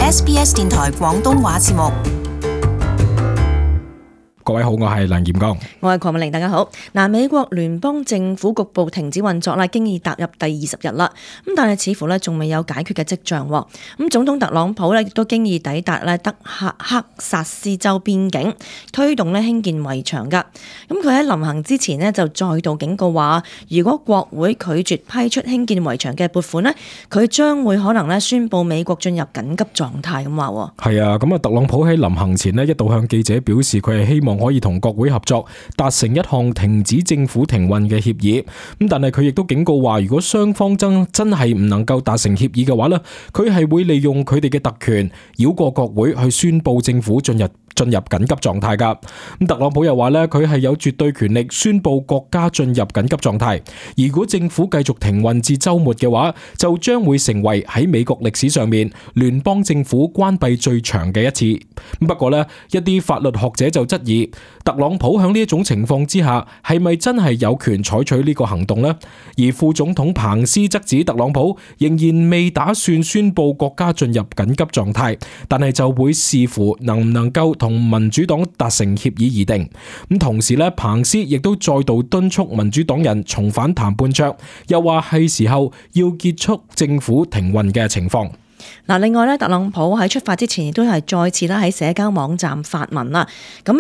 SBS 電台廣東話節目。各位好，我係梁炎剛，我係鄺美玲，大家好。美國聯邦政府局部停止運作啦，經已踏入第20日啦。但係似乎仲未有解決嘅跡象。總統特朗普亦都經已抵達德克薩斯州邊境，推動興建圍牆噶。佢喺臨行之前就再度警告話，如果國會拒絕批出興建圍牆嘅撥款，佢將會可能宣布美國進入緊急狀態咁話。係啊，特朗普喺臨行前一度向記者表示，佢係希望可以同國會合作，達成一項停止政府停運嘅協議。但係佢亦都警告話，如果雙方真係唔能夠達成協議嘅話呢，佢係會利用佢哋嘅特權繞過國會去宣布政府進入緊急狀態噶。特朗普又話呢，佢係有絕對權力宣布國家進入緊急狀態。如果政府繼續停運至週末嘅話，就將會成為喺美國歷史上面聯邦政府關閉最長嘅一次。不過呢，一啲法律學者就質疑，特朗普喺呢一種情況之下，係咪真係有權採取呢個行動呢？而副總統彭斯則指特朗普仍然未打算宣布國家進入緊急狀態，但係就會視乎能唔能夠同民主黨達成協議而定。同時咧，彭斯亦都再度敦促民主黨人重返談判桌，又話係時候要結束政府停運嘅情況。另外特朗普喺出發之前亦都係再次喺社交網站發文啦，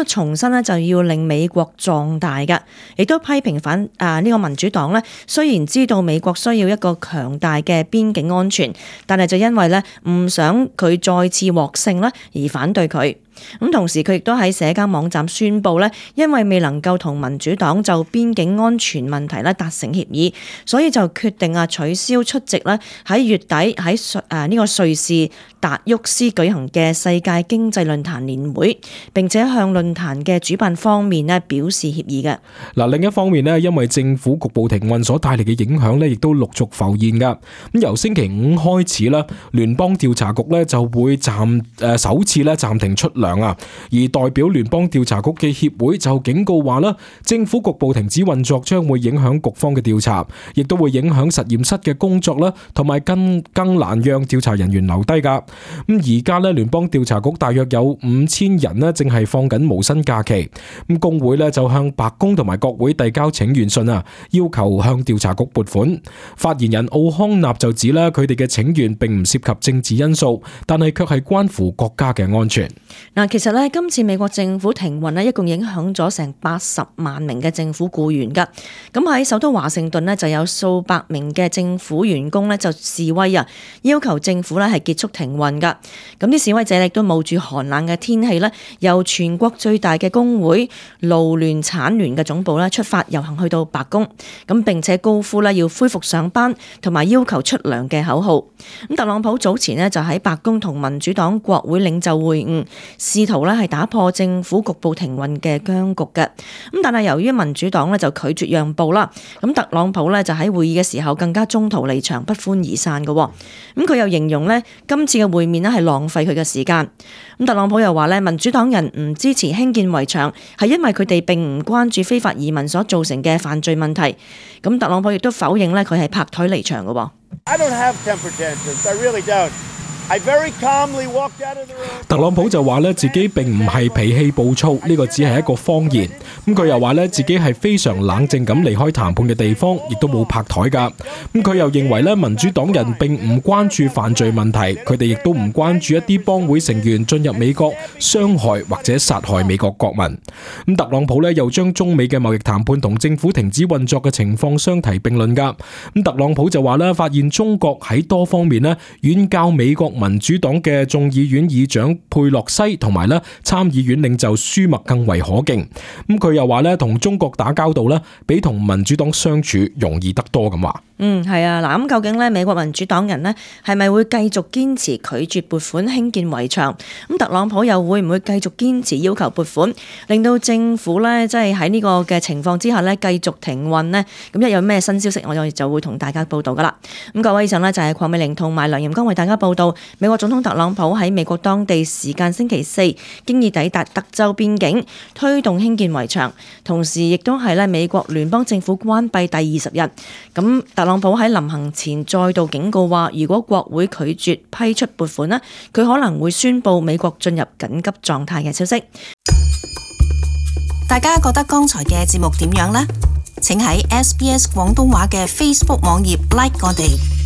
重新就要令美國壯大嘅，亦都批評呢個民主黨雖然知道美國需要一個強大嘅邊境安全，但係就因為唔想佢再次獲勝而反對佢。同時佢亦都喺社交網站宣布因為未能夠同民主黨就邊境安全問題達成協議，所以就決定取消出席喺月底喺呢個瑞士達沃斯舉行嘅世界經濟論壇年會，並且向論壇嘅主辦方面表示歉意嘅。另一方面因為政府局部停運所帶嚟嘅影響亦都陸續浮現噶。由星期五開始聯邦調查局就會首次暫停出糧啊，而代表聯邦調查局嘅協會就警告話政府局部停止運作將會影響局方嘅調查，亦都會影響實驗室嘅工作同埋更難讓調查人員留低噶。而家聯邦調查局大約有5000人正係放緊無薪假期。工會就向白宮同埋國會遞交請願信啊，要求向調查局撥款。發言人奧康納就指佢哋嘅請願並唔涉及政治因素，但係卻係關乎國家嘅安全。其實今次美國政府停運一共影響咗成80萬名嘅政府僱員噶。喺首都華盛頓就有數百名嘅政府員工就示威啊，要求政府係結束停運噶。啲示威者亦都冒住寒冷嘅天氣由全國最大嘅工會勞聯產聯嘅總部出發遊行去到白宮，並且高呼要恢復上班同埋要求出糧嘅口號。特朗普早前就喺白宮同民主黨國會領袖會晤，試圖係打破政府局部停運嘅僵局嘅。但係由於民主黨就拒絕讓步啦，特朗普就喺會議嘅時候更加中途離場，不歡而散嘅。佢又形容今次嘅會面係浪費佢嘅時間。特朗普又話民主黨人唔支持興建圍牆係因為佢哋並唔關注非法移民所造成嘅犯罪問題。特朗普亦都否認佢係拍台離場嘅。I don't have temper tantrums. I really don't. I very calmly walked out of the room. 特朗普就話自己並唔係脾氣暴躁，呢個只係一個謊言。佢又話自己係非常冷靜咁離開談判嘅地方，亦都冇拍台噶。佢又認為民主黨人並唔關注犯罪問題，佢哋亦都唔關注一啲幫會成員進入美國傷害或者殺害美國國民。特朗普又將中美嘅貿易談判同政府停止運作嘅情況相提並論噶。特朗普就話發現中國喺多方面遠較美國民主黨嘅眾議院議長佩洛西同埋參議院領袖舒默更為可敬。佢又話同中國打交道比同民主黨相處容易得多咁話。係啊，嗱，咁究竟美國民主黨人係咪會繼續堅持拒絕撥款興建圍牆？特朗普又會唔會繼續堅持要求撥款，令到政府即係喺呢個嘅情況之下繼續停運呢？咁一有咩新消息，我就會同大家報道噶啦。咁各位，以上就係鄺美玲同埋梁炎剛為大家報道。美國總統特朗普喺美國當地時間星期四經已抵達德州邊境，推動興建圍牆，同時亦都係美國聯邦政府關閉第20日。咁特朗普喺臨行前再度警告話，如果國會拒絕批出撥款咧，佢可能會宣布美國進入緊急狀態嘅消息。大家覺得剛才嘅節目點樣呢？請喺SBS 廣東話嘅 Facebook 網頁 like 我哋。